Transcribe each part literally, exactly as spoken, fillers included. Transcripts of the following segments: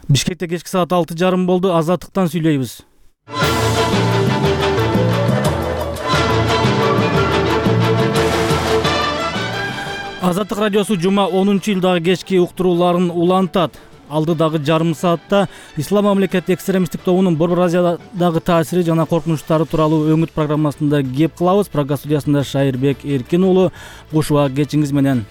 Бишкекте кечки саат алты жарым болду. Азаттыктан сүйлөйбүз. Азаттык радиосу жума онунчу iyuldагы кечки уктурууларын улантат. Алдыдагы жарым саатта Ислам мамлекети экстремисттик тобунун Борбор Азиядагы таасири жана коркунучтары тууралуу өңүт программасында кеп кылабыз. Программа студиясында Шайырбек Эркин уулу. Кушуа кечиңиз менен.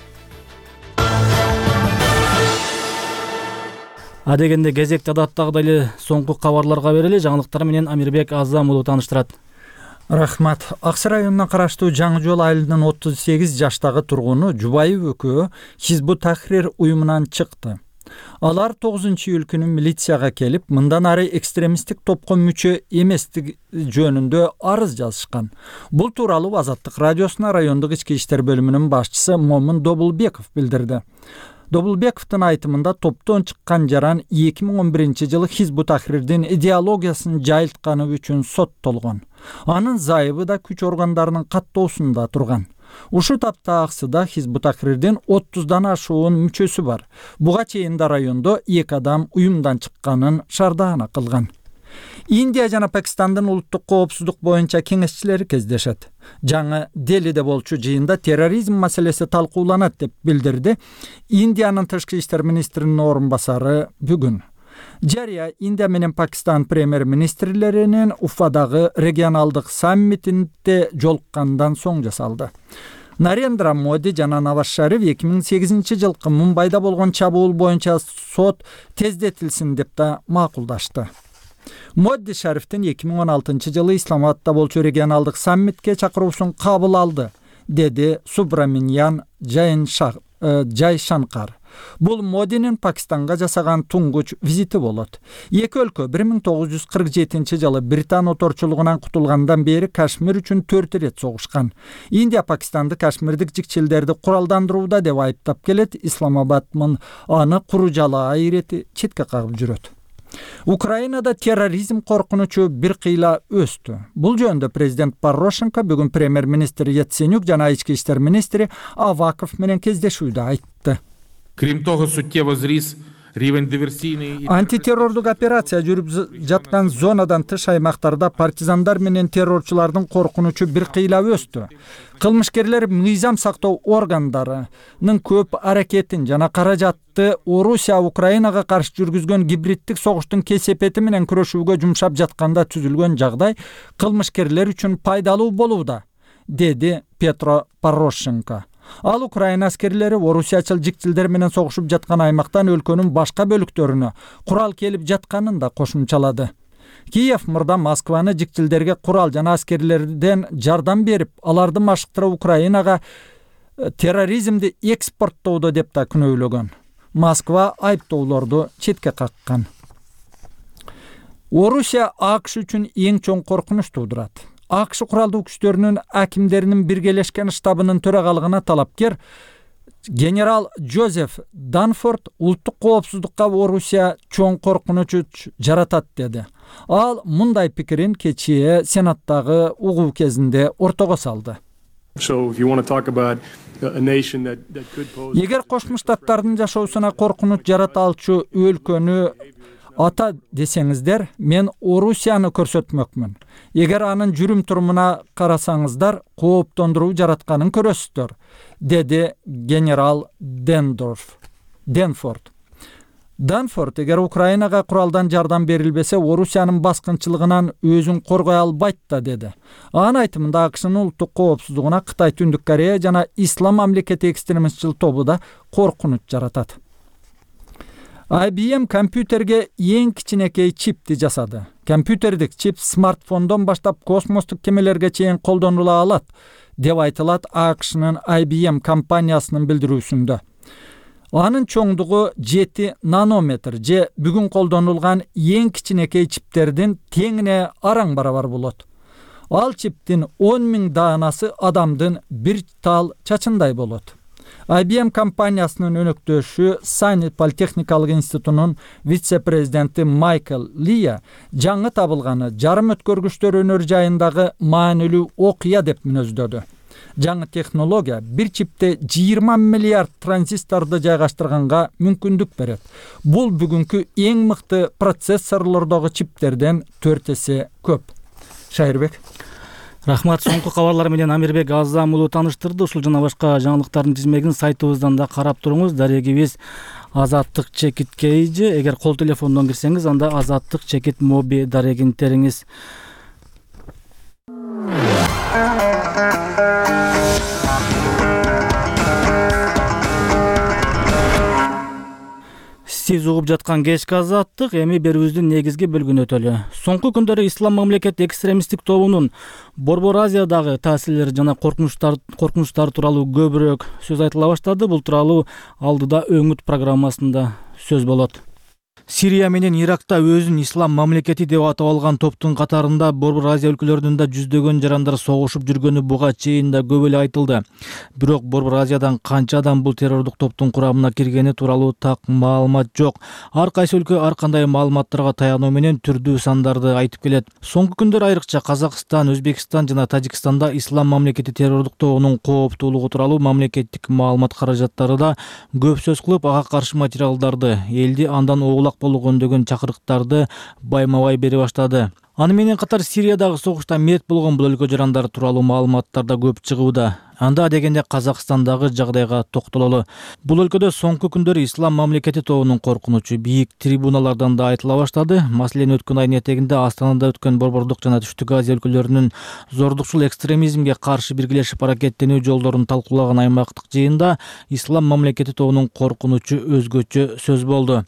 Адегенде кезекти адаттагыдай эле соңку кабарларга берели. Жаңылыктар менен Амирбек Азам уулу тааныштырат. Рахмат. Аксы районуна караштуу Жаңы Жол айылынын отуз сегиз жаштагы тургуну Жубайып экөө Хизбут Тахрир уюмунан чыкты. Алар тогузунчу iyul күнү милицияга келип, мындан ары экстремисттик топко мүчө эместик жөнүндө арыз жазышкан. Бул тууралуу Азаттык радиосуна райондук ички иштер бөлүмүнүн башчысы Момун Добулбеков билдирди. Добулбековдун айтымында топтон чыккан жаран эки миң он биринчи жылы Хизбут Тахрирдин идеологиясын жайылтканы үчүн соттолгон. Анын зайыбы да күч органдарынын каттоосунда турган. Ушу тапта Аксыда Хизбут Тахрирдин отуздан ашуун мүчөсү бар. Буга чейин да райондо эки адам уюмдан чыкканын шардаана кылган. Индия жана Пакистандын улуттук коопсуздук боюнча кеңешчилери кездешет. Жаңы Делиде болчу жыйында терроризм маселеси талкууланат деп билдирди Индиянын тышкы иштер министринин орун басары бүгүн. Жария Индия менен Пакистан премьер-министрлеринин Уфадагы регионалдык саммитинде жолуккандан соң жасалды. Нарендра Моди жана Наваз Шариф эки миң сегизинчи жылкы Мумбайда болгон чабуул боюнча сот тездетилсин деп да макулдашты. Моди Шарифтин эки миң он алтынчы жылы Исламабадда болчу регионалдык саммитке чакыруусун кабыл алды, деди Субраманьян Жайшанкар. Бул Модинин Пакистанга жасаган туңгуч визити болот. Эки өлкө бир миң тогуз жүз кырк жетинчи жылы Британ оторчулугунан кутулгандан бери Кашмир үчүн төрт ирет согушкан. Индия Пакистанды кашмирдик жикчилдерди куралдандырууда деп айыптап келет. Исламабад аны куружалаа ирети четке кагып жүрөт. Украинада терроризм коркунучу бир кыйла өстү. Бул жөнүндө президент Порошенко бүгүн премьер-министр Яценюк жана ички иштер министри Аваков менен кездешүүдө айтты. Крім того, суттєво зріс рівень диверсійної... Антитеррордук операция жүрүп жаткан зонадан тыш аймактарда партизандар менен террорчулардын коркунучу бир кыйла өстү. Кылмышкерлер мыйзам сактоо органдарынын көп аракетин жана каражатты Орусия Украинага каршы жүргүзгөн гибриддик согуштун кесепети менен күрөшүүгө жумшап жатканда түзүлгөн жагдай кылмышкерлер үчүн пайдалуу болууда, деди Петро Порошенко. Ал Украина аскерлери орусиячыл жикчилдер менен согушуп жаткан аймактан өлкөнүн башка бөлүктөрүнө курал келип жатканын да кошумчалады. Киев мурда Москваны жикчилдерге курал жана аскерлерден жардам берип, аларды машыктырып Украинага терроризмди экспорттоодо деп да күнөөлөгөн. Москва айыптоолорду четке каккан. Орусия АКШ үчүн эң чоң коркунуч туудурат. АКШ куралдуу күчтөрүнүн акимдеринин биргелешкен штабынын төрагалыгына талапкер генерал Джозеф Данфорд улуттук коопсуздукка Орусия чоң коркунуч жаратат деди. Ал мындай пикирин кечээ Сенаттагы угуу кезинде ортого салды. Эгер Кошмо Штаттардын жашоосуна коркунуч жарата алчу өлкөнү ата десеңиздер, мен Орусияны көрсөтмөкмүн. Эгер анын жүрүм турумуна карасаңыздар, кооптондуруу жаратканын көрөсүздөр, деди генерал Дендорф. Денфорд. Данфорд эгер Украинага куралдан жардам берилбесе, Орусиянын баскынчылыгынан өзүн коргой албайт да, деди. Анын айтымында АКШнын улуттук коопсуздугуна Кытай, Түндүк Корея жана Ислам мамлекети экстремистчил тобу да коркунуч жаратат. ай би эм компьютерге эң кичинекей чипти жасады. Компьютердик чип смартфондон баштап космостук кемелерге чейин колдонула алат, деп айтылат АКШнын ай би эм компаниясынын билдирүүсүндө. Анын чоңдугу жети нанометр же бүгүн колдонулган эң кичинекей чиптердин теңине араң барабар болот. Ал чиптин он миң даанасы адамдын бир тал чачындай болот. ай би эм компаниясынын өнөктөшү Сайни политехникалык институтунун вице-президенти Майкл Лия жаңы табылганы жарым өткөргүчтөр өнөр жайындагы маанилүү окуя деп мүнөздөдү. Жаңы технология бир чипте жыйырма миллиард транзисторду жайгаштырганга мүмкүндүк берет. Бул бүгүнкү эң мыкты процессорлордогу чиптерден төрт эсе көп. Шайырбек. Рахмат. Соңку кабарлар менен Амирбек Азам уулу тааныштырды. Ушул жана башка жаңылыктардын тизмегин сайтыбыздан да карап туруңуз. Дарегибиз Азаттык чекит кейжи. Эгер кол телефондон кирсеңиз, анда Азаттык чекит моби дарегин териңиз. Сиз угуп жаткан кечки Азаттык, эми берүүбүздүн негизги бөлүгүнө өтөлү. Соңку күндөрү Ислам мамлекети экстремисттик тобунун Борбор Азиядагы таасирлери жана коркунучтар коркунучтары тууралуу көбүрөөк сөз айтыла баштады. Бул тууралуу алдыда өңүт программасында сөз болот. Сирия менен Иракта өзүн Ислам мамлекети деп атап алган топтун катарында Борбор Азия өлкөлөрүндө жүздөгөн жарандар согушуп жүргөнү буга чейин да көп эле айтылды. Бирок Борбор Азиядан канча адам бул террордук топтун курамына киргени тууралуу так маалымат жок. Ар кайсы өлкө ар кандай маалыматтарга таянуу менен түрдүү сандарды айтып келет. Соңку күндөр айрыкча Казакстан, Өзбекстан жана Тажикстанда Ислам мамлекети террордук тобунун кооптуулугу тууралуу мамлекеттик маалымат каражаттары да көп сөз кылып, ага каршы материалдарды, элди андан оолак болууга үндөгөн чакырыктарды байма-бай бере баштады. Аны менен катар Сириядагы согушта мерт болгон бул өлкө жарандары тууралуу маалыматтар да көп чыгууда. Анда дегенде Казакстандагы жагдайга токтололу. Бул өлкөдө соңку күндөрү Ислам мамлекети тобунун коркунучу бийик трибуналардан да айтыла баштады. Маселен, өткөн айдын этегинде Астанада өткөн Борбордук жана Түштүк Азия өлкөлөрүнүн зордукчул экстремизмге каршы биргелешип аракеттенүү жолдорун талкуулаган аймактык жыйында Ислам мамлекети тобунун коркунучу өзгөчө сөз болду.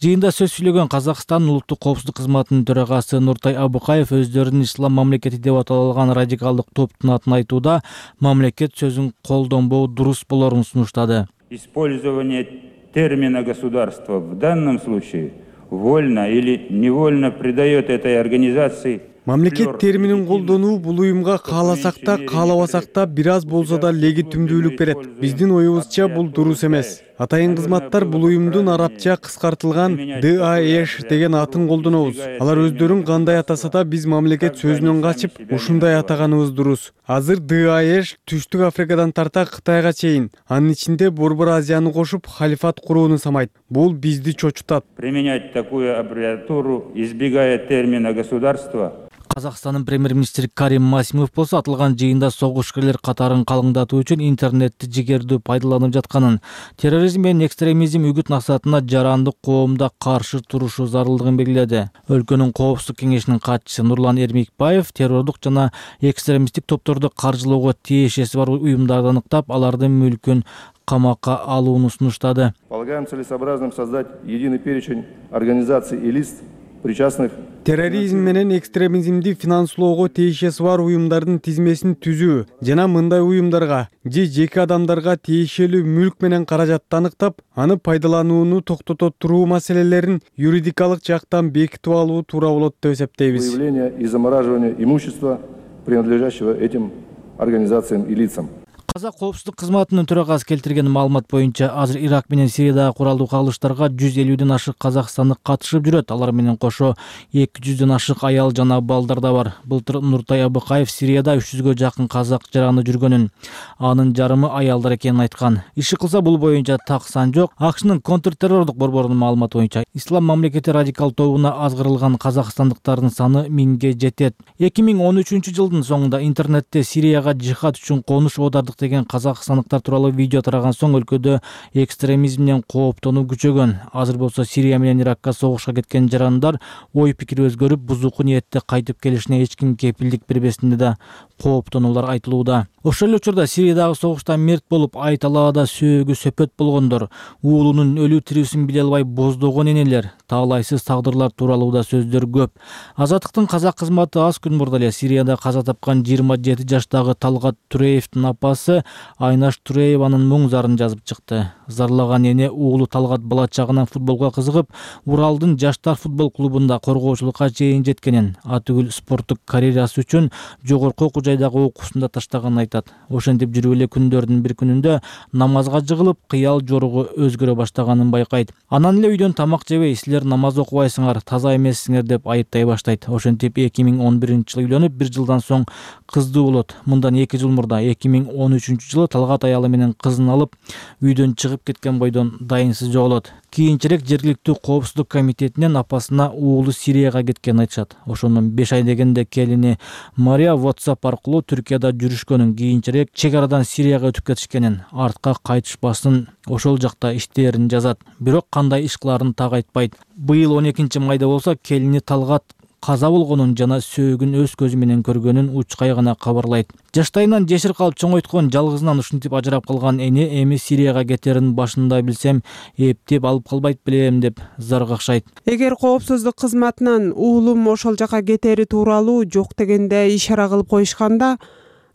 Жыйында сөз сүйлөгөн Казакстандын улуттук коопсуздук кызматынын төрагасы Нуртай Абыкаев өздөрүн Ислам мамлекети деп аталган радикалдык топтун атын айтууда мамлекет сөзүн колдонбоо дурус болорун сунуштады. Использование термина государства в данном случае вольно или невольно придает этой организации Мамлекет терминин колдонуу бул уюмга кааласак да, каалабасак да бир аз болсо да легитимдүүлүк берет. Биздин оюбузча бул дурус эмес. Атайын кызматтар бул уюмдун арабча кыскартылган ди ай эш деген атын колдонобуз. Алар өздөрүн кандай атаса да биз мамлекет сөзүнөн качып, ушундай атаганыбыз дурус. Азыр ди ай эш Түштүк Африкадан тарта Кытайга чейин, анын ичинде Борбор Азияны кошуп халифат курууну самайт. Бул бизди чочутат. Применять такую аббревиатуру, избегая термина государства. Казакстандын премьер-министри Карим Масимов болсо аталган жыйында согушкерлер катарын калыңдатуу үчүн интернетти жигердүү пайдаланып жатканын, терроризм менен экстремизм үгүт насаатына жарандык коомдо каршы турушу зарылдыгын белгиледи. Өлкөнүн коопсуздук кеңешинин катчысы Нурлан Эрмекбаев террордук жана экстремисттик топторду каржылоого тиешеси бар уюмдарды аныктап, алардын мүлкүн камакка алууну сунуштады. Полагаем целесообразным создать единый перечень организаций и лиц, причастных терроризм менен экстремизмди финанслоого тиешеси бар уюмдардын тизмесин түзүү жана мындай уюмдарга же жеке адамдарга тиешелүү мүлк менен каражатты аныктап, аны пайдаланууну токтото туруу маселелерин юридикалык жактан бекитип алуу туура болот деп эсептейбиз. Выявление и замораживание имущества, принадлежащего этим организациям и лицам. Казак коопсуздук кызматынын төрагасы келтирген маалымат боюнча азыр Ирак менен Сириядагы куралдуу кагылыштарга жүз элүүдөн ашык казакстандык катышып жүрөт. Алар менен кошо эки жүздөн ашык аял жана балдар да бар. Былтыр Нуртай Абыкаев Сирияда үч жүзгө жакын казак жараны жүргөнүн, анын жарымы аялдар экенин айткан. Иши кылса бул боюнча так сан жок. АКШнын контртеррордук борборунун маалыматы боюнча Ислам мамлекети радикал тобуна азгырылган казакстандыктардын саны миңге жетет. эки миң он үчүнчү жылдын соңунда интернетте Сирияга жихад үчүн конуш оодардык деген казакстандыктар тууралуу видео тараган соң өлкөдө экстремизмден кооптонуу күчөгөн. Азыр болсо Сирия менен Иракка согушка кеткен жарандар ой пикири өзгөрүп, бузуку ниетте кайтып келишине эч ким кепилдик бербесинде да кооптонуулар айтылууда. Ошол эле учурда Сириядагы согушта мерт болуп, ай талаада сөөгү сөпөт болгондор, уулунун өлүү тирүүсүн биле албай боздогон энелер, таалайсыз тагдырлар тууралуу да сөздөр көп. Азаттыктын казак кызматы аз күн мурда эле Сирияда каза тапкан жыйырма жети жаштагы Талгат Туреевдин апасы кызы Айнаш Турееванын мұң зарын жазып чыкты. Зарлаган эне уулу Талгат бала чагынан футболго кызыгып, Уралдын жаштар футбол клубунда коргоочулукка чейин жеткенин, атүгүл спорттук карьерасы үчүн жогорку окуу жайдагы окуусунда таштаганын айтат. Ошентип жүрүп эле күндөрдүн бир күнүндө намазга жыгылып, кыял жоругу өзгөрө баштаганын байкайт. Анан эле үйдөн тамак жебей, силер намаз окубайсыңар, таза эмессиңер деп айыптай баштайт. Ошентип эки миң он биринчи жылы үйлөнүп, бир жылдан соң кыздуу болот. Мындан эки жыл мурда эки миң он үчүнчү жылы Талгат аялы менен кызын алып, үйдөн чыгып кеткен бойдон дайынсыз жоголот. Кийинчерээк жергиликтүү коопсуздук комитетинен апасына уулу Сирияга кеткенин айтышат. Ошондон беш ай дегенде келини Мария WhatsApp аркылуу Түркияда жүрүшкөнүн, кийинчерээк чек арадан Сирияга өтүп кетишкенин, артка кайтышпасын ошол жакта иштерин жазат. Бирок кандай иш кыларын так айтпайт. Быйыл он экинчи майда болсо келини Талгат каза болгонун жана сөөгүн өз көзү менен көргөнүн учкай гана кабарлайт. Жаштайынан жешир калып чоңойткон, жалгызынан ушинтип ажырап калган эне эми Сирияга кетерин башында билсем, эптеп алып калбайт белем деп зар какшайт. Эгер коопсуздук кызматынан уулум ошол жака кетери тууралуу жок дегенде ишара кылып коюшканда,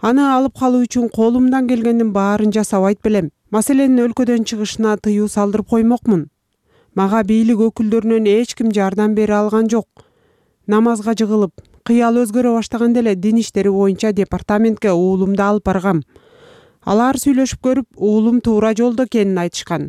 аны алып калуу үчүн колумдан келгендин баарын жасабайт белем. Маселенин өлкөдөн чыгышына тыюу салдырып коймокмун. Мага бийлик өкүлдөрүнөн эч ким жардам бере алган жок. Намазга жыгылып, кыял өзгөрө баштаганда эле дин иштери боюнча департаментке уулумду алып баргам. Алар сүйлөшүп көрүп, уулум туура жолдо экенин айтышкан.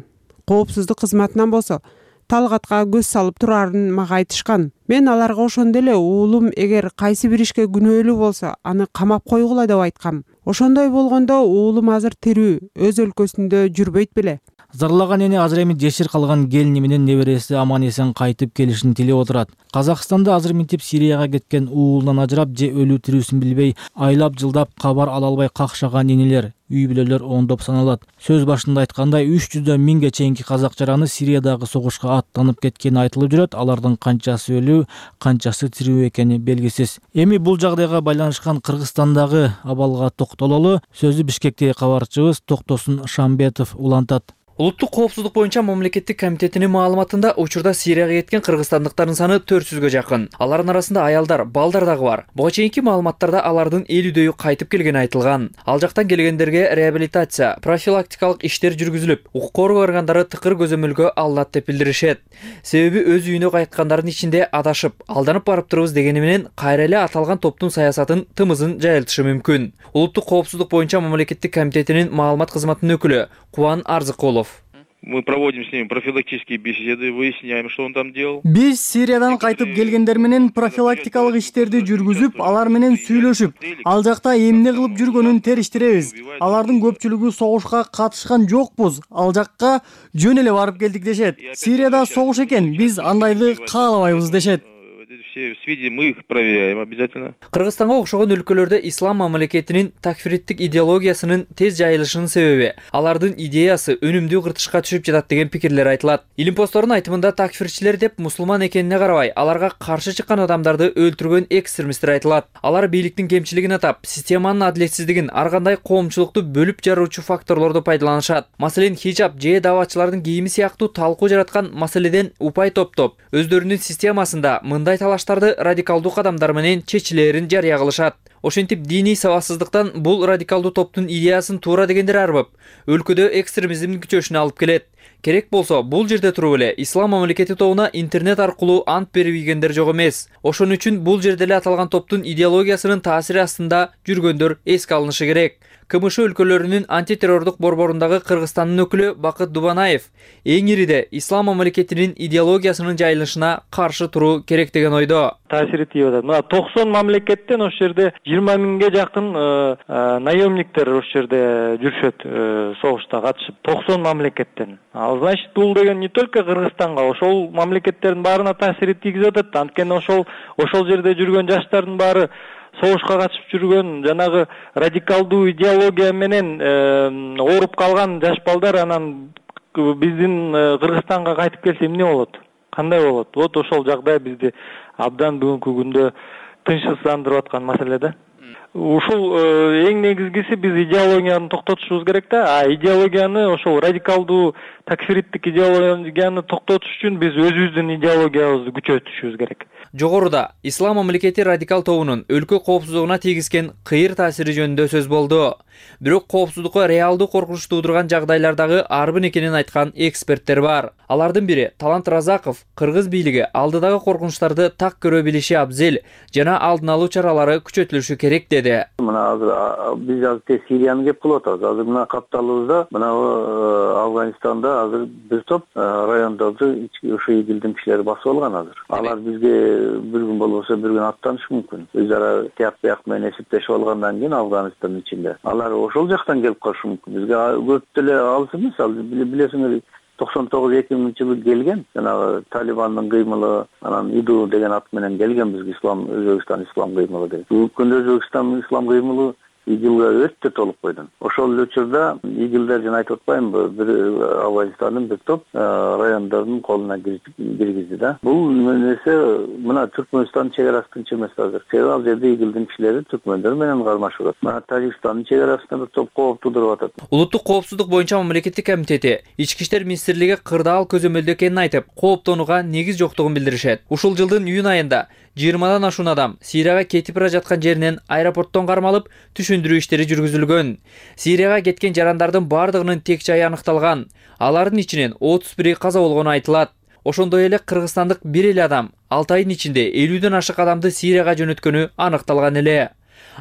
Коопсуздук кызматынан болсо Талгатка көз салып турарын мага айтышкан. Мен аларга ошондо эле уулум эгер кайсы бир ишке күнөөлүү болсо, аны камап койгула деп айткам. Ошондой болгондо уулум азыр тирүү, өз өлкөсүндө жүрбөйт беле. Зарлаган эне азыр эми жешир калган келини менен небереси аман эсен кайтып келишин тилеп отурат. Казакстанда азыр минтип Сирияга кеткен уулунан ажырап же өлүү тирүүсүн билбей, айлап жылдап кабар ала албай какшаган энелер, үй бүлөлөр ондоп саналат. Сөз башында айткандай, үч жүздөн миңге чейинки казак жараны Сириядагы согушка аттанып кеткени айтылып жүрөт. Алардын канчасы өлүү, канчасы тирүү экени белгисиз. Эми бул жагдайга байланышкан Кыргызстандагы абалга токтололу. Сөзү Бишкектеги кабарчыбыз Токтосун Шамбетов улантат. Улуттук коопсуздук боюнча мамлекеттик комитетинин маалыматында учурда Сирияга кеткен кыргызстандыктардын саны төрт жүзгө жакын. Алардын арасында аялдар, балдар дагы бар. Буга чейинки маалыматтарда алардын элүүдөйү кайтып келгени айтылган. Ал жактан келгендерге реабилитация, профилактикалык иштер жүргүзүлүп, укук коргоо органдары тыкыр көзөмөлгө алынат деп билдиришет. Себеби өз үйүнө кайткандардын ичинде адашып, алданып барып турбуз дегени менен кайра эле аталган топтун саясатын тымызын жайылтышы мүмкүн. Улуттук коопсуздук боюнча мамлекеттик комитетинин маалымат кызматынын өкүлү Кубан Арзыкулов. Мы проводим с ними профилактические беседы, выясняем, что он там делал. Биз Сириядан кайтып келгендер менен профилактикалык иштерди жүргүзүп, алар менен сүйлөшүп, ал жакта эмне кылып жүргөнүн териштиребиз. Алардын көпчүлүгү согушка катышкан жокпуз, ал жакка жөн эле барып келдик дешет. Сирияда согуш экен, биз андайды каалабайбыз дешет. Все сведения мы их проверяем обязательно. Кыргызстанга окшогон өлкөлөрдө ислам мамлекетинин такфириттик идеологиясынын тез жайылышынын себеби алардын идеясы өнүмдүү кыртышка түшүп жатат деген пикирлер айтылат. Илимпоздордун айтымында такфирчилер деп мусулман экенине карабай, аларга каршы чыккан адамдарды өлтүргөн экстремисттер айтылат. Алар бийликтин кемчилигин атап, системанын адилетсиздигин, ар кандай коомчулукту бөлүп жаруучу факторлорду пайдаланышат. Маселен, хижаб же даватчылардын кийими сыяктуу талкуу жараткан маселеден упай топтоп, өздөрүнүн системасында мындай талаштарды радикалдуу кадамдар менен чечилерин жарыя кылышат. Ошентип диний сабатсыздыктан бул радикалдуу топтун идеясын туура дегендер арбып, өлкөдө экстремизмдин күчөшүнө алып келет. Керек болсо, бул жерде туруп эле ислам мамлекети тобуна интернет аркылуу ант берип ийгендер жок эмес. Ошон үчүн бул жерде эле аталган топтун идеологиясынын таасири астында жүргөндөр эске алынышы керек. КМШ өлкөлөрүнүн антитеррордук борборундагы Кыргызстандын өкүлү Бакыт Дубанаев эң ириде ислам мамлекетинин идеологиясынын жайылышына каршы туруу керек деген ойдо. Таасири тийип атат. Мына токсон мамлекеттен ошол жерде жыйырма миңге жакын наемниктер ошол жерде жүрүшөт, согушта катышып. токсон мамлекеттен. Ал значит, бул деген не только Кыргызстанга, ошол мамлекеттердин баарына таасири тийгизип атат. Анткени ошол ошол жерде жүргөн жаштардын баары согушка катышып жүргөн, жанагы радикалдуу идеология менен ооруп калган жаш балдар анан биздин Кыргызстанга кайтып келсе эмне болот? Кандай болот? Вот ошол жагдай бизди абдан бүгүнкү күндө тынчсыздандырып аткан маселе да. ушул эң негизгиси биз идеологияны токтотушубуз керек да. А идеологияны ошол радикалдуу такфириттик идеологияны токтотуш үчүн биз өзүбүздүн идеологиябызды күчөтүшүбүз керек. Жогоруда Ислам мамлекети радикал тобунун өлкө коопсуздугуна тийгизген кыйыр таасири жөнүндө сөз болду. Бирок коопсуздукка реалдуу коркунуч туудурган жагдайлардагы арбын экенин айткан эксперттер бар. Алардын бири Талант Разаков кыргыз бийлиги алдыдагы коркунучтарды так көрө билиши абзел жана алдын алуу чаралары күчөтүлүшү керек деди. Мына азыр биз азыр Сирияны кеп кылып атабыз. Азыр мына капталыбызда мына Афганистанда азыр бир топ райондорду ошо игилдин кишилери басып алган азыр. Алар бизге бир күн болбосо бир күн аттанышы мүмкүн. Өз ара тияк бияк менен эсептешип алгандан кийин Афганистандын ичинде алар ошол жактан келип калышы мүмкүн. Бизге көп деле алыс эмес. Ал билесиңер токсон тогуз эки миңинчи жылы келген жанагы Талибандын кыймылы, анан ИДУ деген ат менен келген бизге ислам Өзбекстан ислам кыймылы деген. Бүгүнкү Өзбекстан ислам кыймылы игилге өтө толук койдун. Ошол учурда игилдер жана айтып атпаймынбы, бир Афганистандын бир топ райондордун колуна киргизди да. Бул нерсе мына Түркмөнстандын чек арасы тынч эмес азыр. Себеби ал жерде игилдин кишилери түркмөндөр менен кармашып атат. Мына Тажикстандын чек арасында бир топ кооп туудуруп атат. Улуттук коопсуздук боюнча мамлекеттик комитети Ички иштер министрлиги кырдаал көзөмөлдө экенин айтып, кооптонууга негиз жоктугун билдиришет. Ушул жылдын июнь айында жыйырмадан ашуун адам Сирияга кетип бара жаткан жеринен аэропорттон кармалып, түшүндүрүү иштери жүргүзүлгөн. Сирияга кеткен жарандардын бардыгынын тек жайы аныкталган. Алардын ичинен отуз бири каза болгону айтылат. Ошондой эле кыргызстандык бир эле адам алты айдын ичинде элүүдөн ашык адамды Сирияга жөнөткөнү аныкталган эле.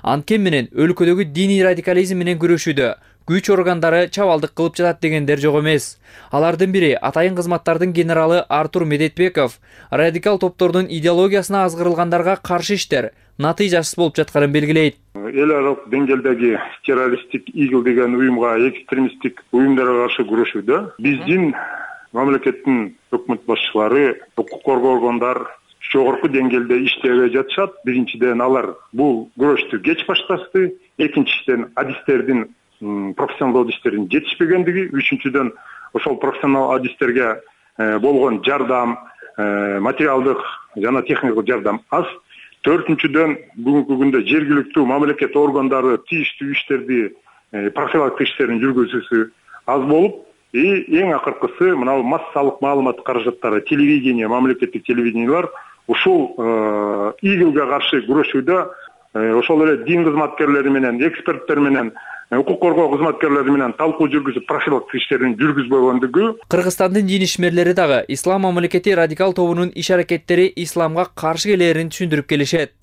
Анткени менен өлкөдөгү диний радикализм менен күрөшүүдө күч органдары чабалдык кылып жатат дегендер жок эмес. Алардын бири атайын кызматтардын генералы Артур Медетбеков радикал топтордун идеологиясына азгырылгандарга каршы иштер натыйжасыз болуп жатканын белгилейт. Эл аралык деңгээлдеги террористтик игил деген уюмга, экстремисттик уюмдарга каршы күрөшүүдө биздин мамлекеттин өкмөт башчылары, укук коргоо органдар жогорку деңгээлде иштебей жатышат. Биринчиден алар бул күрөштү кеч башташты, экинчиден адистердин профессионалдуу адистердин жетишпегендиги, үчүнчүдөн ошол профессионал адистерге болгон жардам, материалдык жана техникалык жардам аз. Төртүнчүдөн бүгүнкү күндө жергиликтүү мамлекет органдары тийиштүү иштерди, профилактика иштерин жүргүзүүсү аз болуп, и эң акыркысы мына массалык маалымат каражаттары, телевидение, мамлекеттик телевидениялар ушул игилге каршы күрөшүүдө ошол эле дин кызматкерлери менен, эксперттер менен, укук коргоо кызматкерлери менен талкуу жүргүзүп профилактика иштерин жүргүзбөй койгондугу. Кыргызстандын дин ишмерлери дагы Ислам мамлекети радикал тобунун иш-аракеттери исламга каршы келерин түшүндүрүп келишет.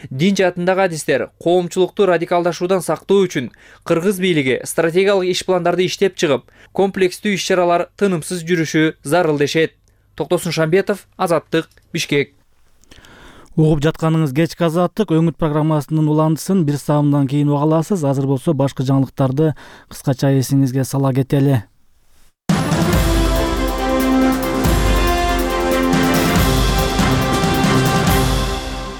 Дин жаатындагы адистер коомчулукту радикалдашуудан сактоо үчүн кыргыз бийлиги стратегиялык иш пландарды иштеп чыгып, комплекстүү иш-чаралар тынымсыз жүрүшү зарыл дешет. Токтосун Шамбетов, Азаттык, Бишкек. Угуп жатканыңыз кечки Азаттык өңүт программасынын уландысын бир саамдан кийин уга аласыз. Азыр болсо башкы жаңылыктарды кыскача эсиңизге сала кетели.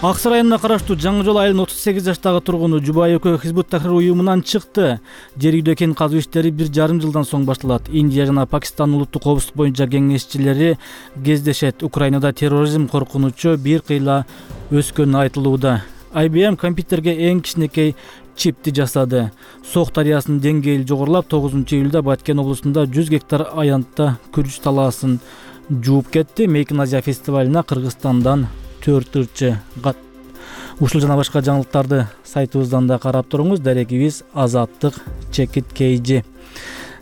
Аксы районуна караштуу Жаңы Жол айылынын отуз сегиз жаштагы тургуну Жубай экөө Хизбут Тахрир уюмунан чыкты. Жер үйдө кен казуу иштери бир жарым жылдан соң башталат. Индия жана Пакистан улуттук коопсуздук боюнча кеңешчилери кездешет. Украинада терроризм коркунучу бир кыйла өскөнү айтылууда. ай би эм компьютерге эң кичинекей чипти жасады. Сок дарыясынын деңгээли жогорулап, тогузунчу июлда Баткен облусунда жүз гектар аянтта күрүч талаасын жууп кетти. Мейкин Азия фестивалына Кыргызстандан төрт ырчы кат. Ушул жана башка жаңылыктарды сайтыбыздан да карап туруңуз. Дарегибиз Азаттык Чекит Кейжи.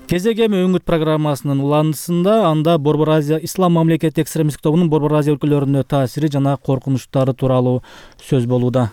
Кезегем өңүт программасынын уландысында анда Борбор Азия Ислам мамлекети экстремисттик тобунун Борбор Азия өлкөлөрүнө таасири жана коркунучтары тууралуу сөз болууда.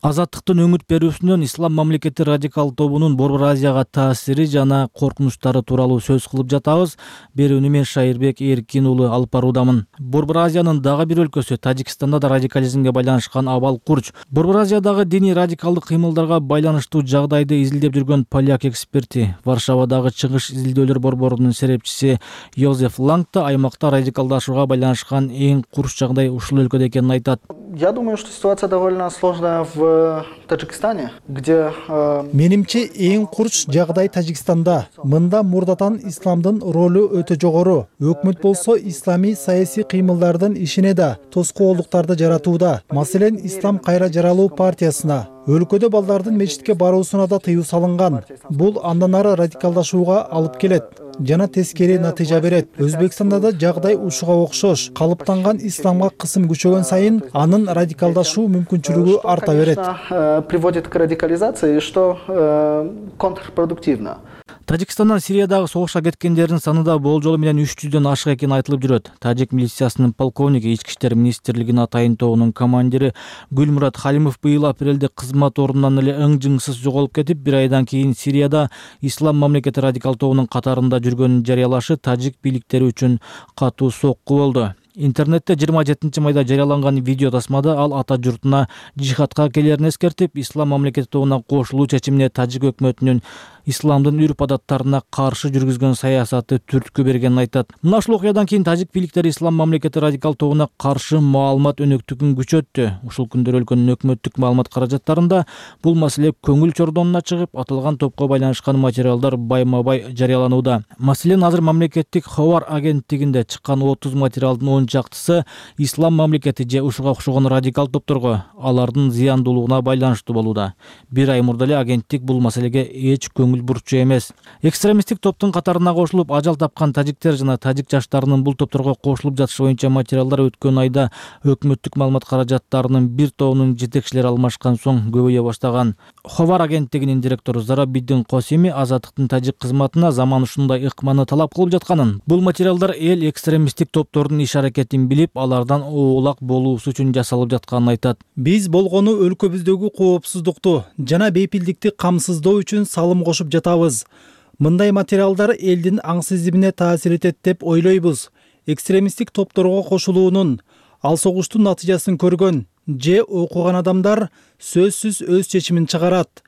Азаттыктын өңүт берүүсүнөн Ислам мамлекети радикал тобунун Борбор Азияга таасири жана коркунучтары тууралуу сөз кылып жатабыз. Берүүнү мен Шайырбек Эркин уулу алып баруудамын. Борбор Азиянын дагы бир өлкөсү Тажикстанда да радикализмге байланышкан абал курч. Борбор Азиядагы диний радикалдык кыймылдарга байланыштуу жагдайды изилдеп жүргөн поляк эксперти, Варшавадагы чыгыш изилдөөлөр борборунун серепчиси Йозеф Ланг да аймакта радикалдашууга байланышкан эң курч жагдай ушул өлкөдө экенин айтат. Я думаю, что ситуация довольно сложная в Таджикистане, где... Менимче эң курч жагдай Тажикстанда. Мында мурдатан исламдын ролу өтө жогору. Өкмөт болсо ислами саясий кыймылдардын ишине да тоскоолдуктарды жаратууда. Маселен, Ислам кайра жаралуу партиясына, өлкөдө балдардын мечитке баруусуна да тыюу салынган. Бул андан ары радикалдашууга алып келет жана тескери натыйжа берет. Өзбекстанда да жагдай ушуга окшош. Калыптанган исламга кысым күчөгөн сайын анын радикалдашуу мүмкүнчүлүгү арта берет. Приводит к радикализации, что контрпродуктивно. Тажикстандан Сириядагы согушка кеткендердин саны да болжолу менен үч жүздөн ашык экени айтылып жүрөт. Тажик милициясынын полковниги, Ички иштер министрлигинин атайын тобунун командири Гүлмурат Халимов быйыл апрелде кызмат ордунан эле ың-жыңсыз жоголуп кетип, бир айдан кийин Сирияда Ислам мамлекети радикал тобунун катарында жүргөнүн жарыялашы тажик бийликтери үчүн катуу сокку болду. Интернетте жыйырма жетинчи майда жарыяланган видео тасмада ал ата журтуна жихадка келерин эскертип, Ислам мамлекети тобуна кошулуу чечимине тажик өкмөтүнүн исламдын үрп адаттарына каршы жүргүзгөн саясаты түрткү бергенин айтат. Мына ушул окуядан кийин тажик бийликтери Ислам мамлекети радикал тобуна каршы маалымат өнөктүгүн күчөттү. Ушул күндөр өлкөнүн өкмөттүк маалымат каражаттарында бул маселе көңүл чордонуна чыгып, аталган топко байланышкан материалдар байма-бай жарыяланууда. Маселен, азыр мамлекеттик Ховар агенттигинде чыккан отуз материалдын он чактысы Ислам мамлекети же ушуга окшогон радикал топторго, алардын зыяндуулугуна байланыштуу болууда. Бир ай мурда эле агенттик бул маселеге эч көңүл бурчу эмес. Экстремисттик топтун катарына кошулуп ажал тапкан тажиктер жана тажик жаштарынын бул топторго кошулуп жатышы боюнча материалдар өткөн айда өкмөттүк маалымат каражаттарынын бир тобунун жетекчилери алмашкан соң көбөйө баштаган. Ховар агенттигинин директору Зарабиддин Косими Азаттыктын тажик кызматына заман ушундай ыкманы талап кылып жатканын, бул материалдар эл экстремисттик топтордун иш аракетин билип, алардан оолак болуусу үчүн жасалып жатканын айтат. Биз болгону өлкөбүздөгү коопсуздукту жана бейпилдикти камсыздоо үчүн салым кошуп жатабыз. Мындай материалдар элдин аң сезимине таасир этет деп ойлойбуз. Экстремисттик топторго кошулуунун, ал согуштун натыйжасын көргөн же окуган адамдар сөзсүз өз чечимин чыгарат.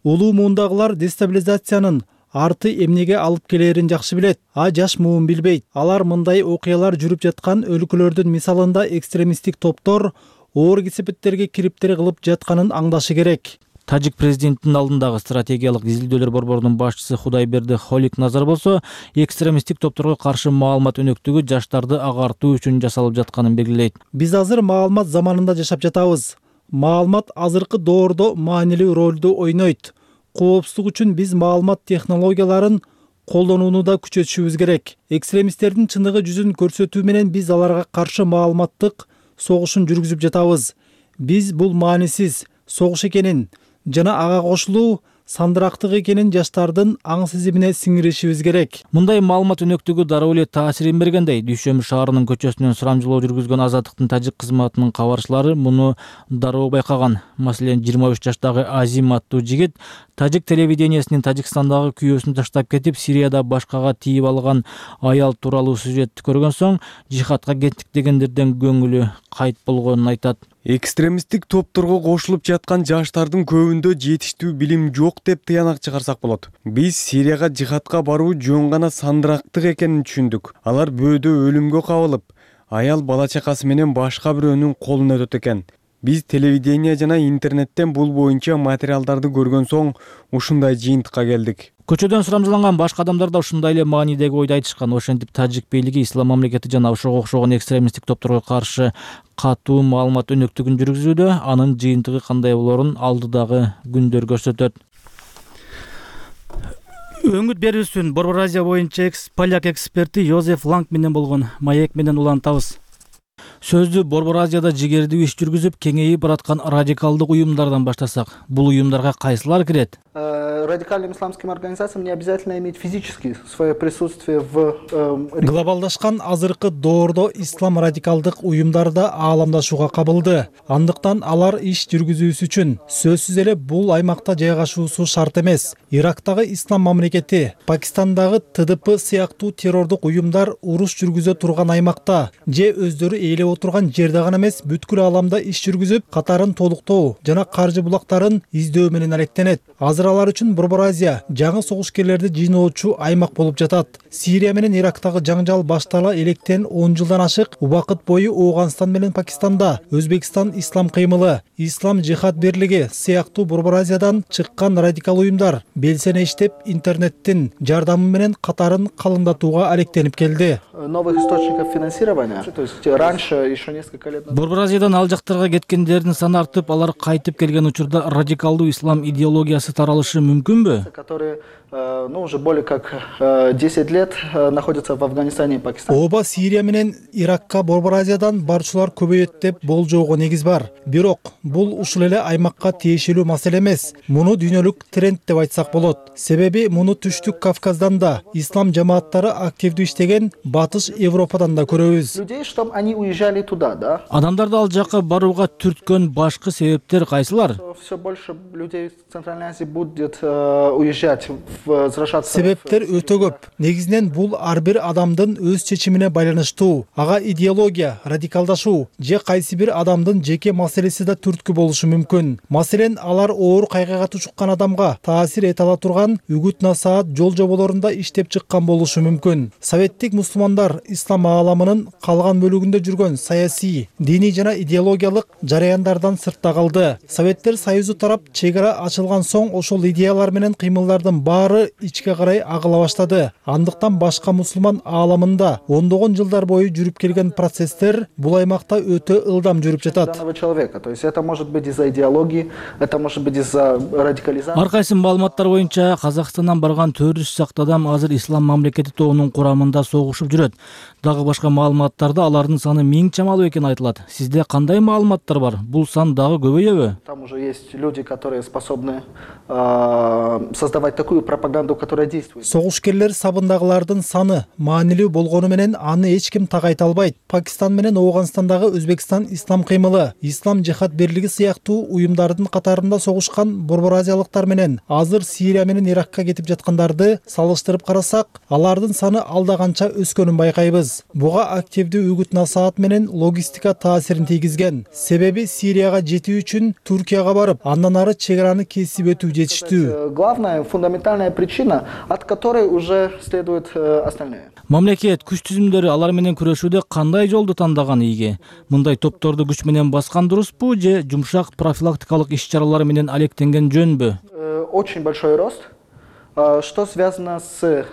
Улуу муундагылар дестабилизациянын арты эмнеге алып келерин жакшы билет, а жаш муун билбейт. Алар мындай окуялар жүрүп жаткан өлкөлөрдүн мисалында экстремисттик топтор оор кесепеттерге кириптер кылып жатканын аңдашы керек. Тажик президентинин алдындагы стратегиялык изилдөөлөр борборунун башчысы Худайберди Холик Назар болсо, экстремисттик топторго каршы маалымат өнөктүгү жаштарды агартуу үчүн жасалып жатканын белгилейт. Биз азыр маалымат заманында жашап жатабыз. Маалымат азыркы доордо маанилүү ролду ойнойт. Коопсуздук үчүн биз маалымат технологияларын колдонууну да күчөтүшүбүз керек. Экстремисттердин чындыгы жүзүн көрсөтүү менен биз аларга каршы маалыматтык согушун жүргүзүп жатабыз. Биз бул маанисиз согуш экенин жана ага кошулуу сандырактык экенин жаштардын аң сезимине сиңиришибиз керек. Мындай маалымат өнөктүгү дароо эле таасирин бергендей, Дүйшөмү шаарынын көчөсүнөн сурамжылоо жүргүзгөн Азаттыктын тажик кызматынын кабарчылары муну дароо байкаган. Маселен, жыйырма үч жаштагы Азим аттуу жигит тажик телевидениясынын Тажикстандагы күйөөсүн таштап кетип, Сирияда башкага тийип алган аял тууралуу сюжетти көргөн соң жихадка кеттик дегендерден көңүлү кайт болгонун айтат. Экстремисттик топторго кошулуп жаткан жаштардын көбүндө жетиштүү билим жок деп тыянак чыгарсак болот. Биз Сирияга жихадка баруу жөн гана сандырактык экенин түшүндүк. Алар бөөдө өлүмгө кабылып, аял бала чакасы менен башка бирөөнүн колуна өтөт экен. Биз телевидение жана интернеттен бул боюнча материалдарды көргөн соң ушундай жыйынтыкка келдик. Көчөдөн сурамжыланган башка адамдар да ушундай эле маанидеги ойду айтышкан. Ошентип тажик бийлиги Ислам мамлекети жана ошого окшогон экстремисттик топторго каршы катуу маалымат өнөктүгүн жүргүзүүдө, анын жыйынтыгы кандай болорун алдыдагы күндөр көрсөтөт. Өңүт берүүсүн Борбор Азия боюнча поляк эксперти Йозеф Ланг менен болгон маек менен улантабыз. Сөздү Борбор Азияда жигердүү иш жүргүзүп, кеңейип бараткан радикалдык уюмдардан баштасак, бул уюмдарга кайсылар кирет? Радикальным исламским организациям не обязательно иметь физически свое присутствие в... Глобалдашкан азыркы доордо ислам радикалдык уюмдар да ааламдашууга кабылды. Андыктан алар иш жүргүзүүсү үчүн сөзсүз эле бул аймакта жайгашуусу шарт эмес. Ирактагы ислам мамлекети, Пакистандагы Т Д П сыяктуу террордук уюмдар уруш жүргүзө турган аймакта же өздөрү ээлеп отурган жерде гана эмес, бүткүл ааламда иш жүргүзүп, катарын толуктоо жана каржы булактарын издөө менен алектенет. Азыр алар үчүн Борбор Азия жаңы согушкерлерди жыйноочу аймак болуп жатат. Сирия менен Ирактагы жаңжал баштала электен он жылдан ашык убакыт бою Ооганстан менен Пакистанда Өзбекстан ислам кыймылы, Ислам жихад бирлиги сыяктуу Борбор Азиядан чыккан радикал уюмдар белсене иштеп, интернеттин жардамы менен катарын калыңдатууга алектенип келди. Новых источников финансирования, то есть раньше еще несколько лет назад. Борбор Азиядан ал жактарга кеткендердин саны артып, алар кайтып келген учурда радикалдуу ислам идеологиясы таралышы мүмкүнбү? Которые, ну, уже более как десять лет находятся в Афганистане и Пакистане. Ооба Сирия менен Иракка Борбор Азиядан барчулар көбөйөт деп болжоого негиз бар. Бирок бул ушул эле аймакка тиешелүү маселе эмес. Муну дүйнөлүк тренд деп айтсак болот. Себеби муну Түштүк Кавказдан да, ислам жамааттары активдүү иштеген Батыш Европадан да көрөбүз. Людей, чтобы они уезжали туда, да? Адамдарды ал жакка барууга түрткөн башкы себептер кайсылар? Все больше людей в Центральной Азии будет уезжать, возвращаться. Себептер өтө көп. Негизинен бул ар бир адамдын өз чечимине байланыштуу. Ага идеология, радикалдашуу же кайсы бир адамдын жеке маселеси да түрткү болушу мүмкүн. Маселен, алар оор кайгыга тушуккан адамга таасир эте ала турган үгүт-насаат жол жоболорунда иштеп чыккан болушу мүмкүн. Советтик мусулмандар ислам ааламынын калган бөлүгүндө жүргөн саясий, диний жана идеологиялык жараяндардан сыртта калды. Советтер Союзу тарап чек ара ачылган соң ошол идеялар менен кыймылдардын баары ичке карай агыла баштады. Андыктан башка мусулман ааламында ондогон жылдар бою жүрүп келген процесстер бул аймакта өтө ылдам жүрүп жатат. То есть это может быть из-за идеологии, это может быть из-за радикализации. Ар кайсы маалыматтар боюнча Казакстандан барган төрт жүз сакты адам азыр ислам мамлекети тобунун курамында согушуп жүрөт. Дагы башка маалыматтарда алардын саны миң чамалуу экени айтылат. Сизде кандай маалыматтар бар? Бул сан дагы көбөйөбү? Там уже есть люди, которые способны создавать такую пропаганду, которая действует. Согушкерлер сабындагылардын саны маанилүү болгону менен аны эч ким так айта албайт. Пакистан менен Ооганстандагы Өзбекстан ислам кыймылы, Ислам жихад бирлиги сыяктуу уюмдардын катарында согушкан борбор азиялыктар менен азыр Сирия менен Иракка кетип жаткандарды салыштырып карасак, алардын саны алда канча өскөнүн байкайбыз. Буга активдүү үгүт-насаат менен логистика таасирин тийгизген. Себеби Сирияга жетүү үчүн Туркияга барып, андан ары чек араны кесип өтүү жетиштүү. Главная фундаментальная причина, от которой уже следует остальные. Мамлекет күч түзүмдөрү алар менен күрөшүүдө кандай жолду тандаган ийги? Мындай топторду күч менен баскан дурусбу же жумшак профилактикалык иш-чаралар менен алектенген жөнбү? Очень большой рост. Что связано с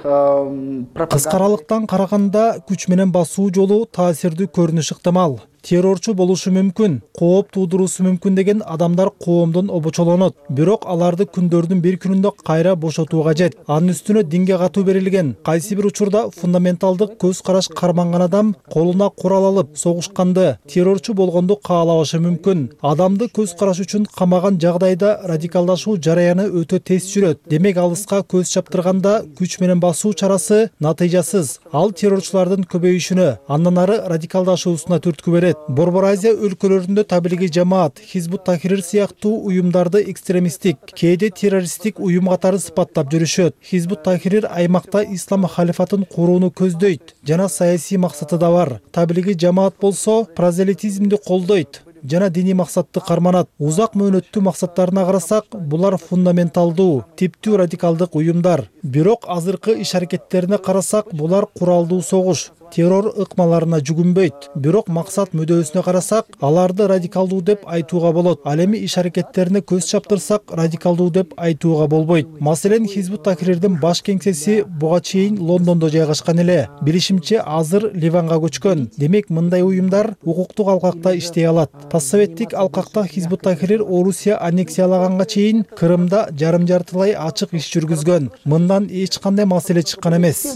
пропагандой? Кыскаралыктан караганда күч менен басуу жолу таасирдүү көрүнүш ыктымал. Террорчу болушу мүмкүн, кооп туудуруусу мүмкүн деген адамдар коомдон обочолонот. Бирок аларды күндөрдүн бир күнүндө кайра бошотуу кажет. Анын үстүнө динге катуу берилген. Кайсы бир учурда фундаменталдык көз караш карманган адам колуна курал алып согушканды, террорчу болгонду каалабашы мүмкүн. Адамды көз караш үчүн камаган жагдайда радикалдашуу жараяны өтө тез жүрөт. Демек алыска көз чаптырганда күч менен басуу чарасы натыйжасыз. Ал террорчулардын көбөйүшүнө, андан ары радикалдашуусуна түрткү берет. Борбор Азия өлкөлөрүндө Таблиги жамаат, Хизбут Тахрир сыяктуу уюмдарды экстремисттик, кээде террористтик уюм катары сыпаттап жүрүшөт. Хизбут Тахрир аймакта ислам халифатын курууну көздөйт жана саясий максаты да бар. Таблиги жамаат болсо прозелитизмди колдойт жана диний максатты карманат. Узак мөөнөттүү максаттарына карасак, булар фундаменталдуу, типтүү радикалдык уюмдар. Бирок азыркы иш-аракеттерине карасак, булар куралдуу согуш, террор ыкмаларына жүгүнбөйт. Бирок максат мүдөөсүнө карасак, аларды радикалдуу деп айтууга болот. Ал эми иш-аракеттерине көз чаптырсак, радикалдуу деп айтууга болбойт. Маселен, Хизбут Тахрирдин баш кеңсеси буга чейин Лондондо жайгашкан эле. Билишимче, азыр Ливанга көчкөн. Демек, мындай уюмдар укуктук алкакта иштей алат. Постсоветтик алкакта Хизбут Тахрир Орусия аннексиялаганга чейин Крымда жарым-жартылай ачык иш жүргүзгөн. Мындан эч кандай маселе чыккан эмес.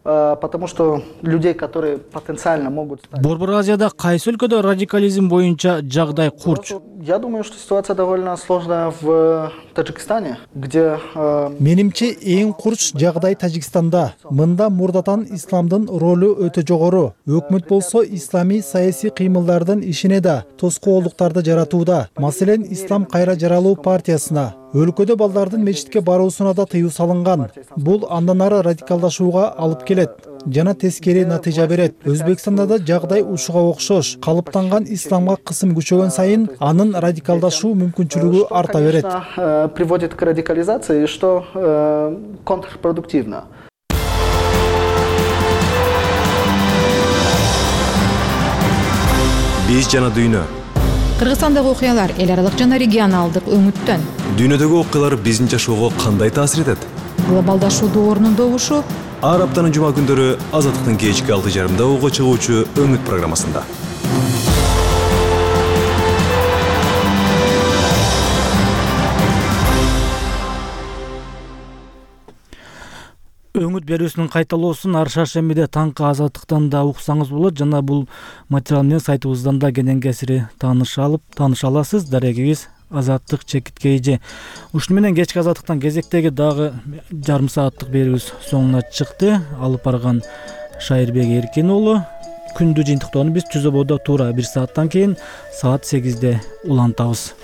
Потому что людей, которые потенциально могут стать... Борбор Азияда кайсы өлкөдө радикализм боюнча жагдай курч? Я думаю, что ситуация довольно сложная в Таджикистане, где... Менимче эң курч жагдай Тажикстанда. Мында мурдатан исламдын ролу өтө жогору. Өкмөт болсо исламий саясий кыймылдардын ишине да тоскоолдуктарды жаратууда. Маселен, Ислам кайра жаралуу партиясына. Өлкөдө балдардын мечитке баруусуна да тыюу салынган. Бул андан ары радикалдашууга алып келет. жана тескери натыйжа берет. Өзбекстанда да жагдай ушуга окшош. Калыптанган исламга кысым күчөгөн сайын анын радикалдашуу мүмкүнчүлүгү арта берет. Приводит к радикализации, что контрпродуктивно. Биз жана дүйнө. Кыргызстандагы окуялар эл аралык жана регионалдык өңүттөн. Дүйнөдөгү окуялар биздин жашоого кандай таасир этет? Глобалдашуу доорунун добушу. Ар аптанын жума күндөрү Азаттыктын кечки алты жарымда уга чыгуучу Өңүт программасында. Өңүт берүүсүнүн кайталоосун ар шаршембиде таңкы Азаттыктан да уксаңыз болот жана бул материал менен сайтыбыздан да кенен кесири тааныша алып тааныша аласыз. Дарегибиз Азаттык чекит kg. Ушуну менен кечки Азаттыктан кезектеги дагы жарым сааттык берүүбүз соңуна чыкты. Алып барган Шайырбек Эркин уулу. Күндү жыйынтыктоону биз Түзөбодо туура бир сааттан кийин саат сегизде улантабыз.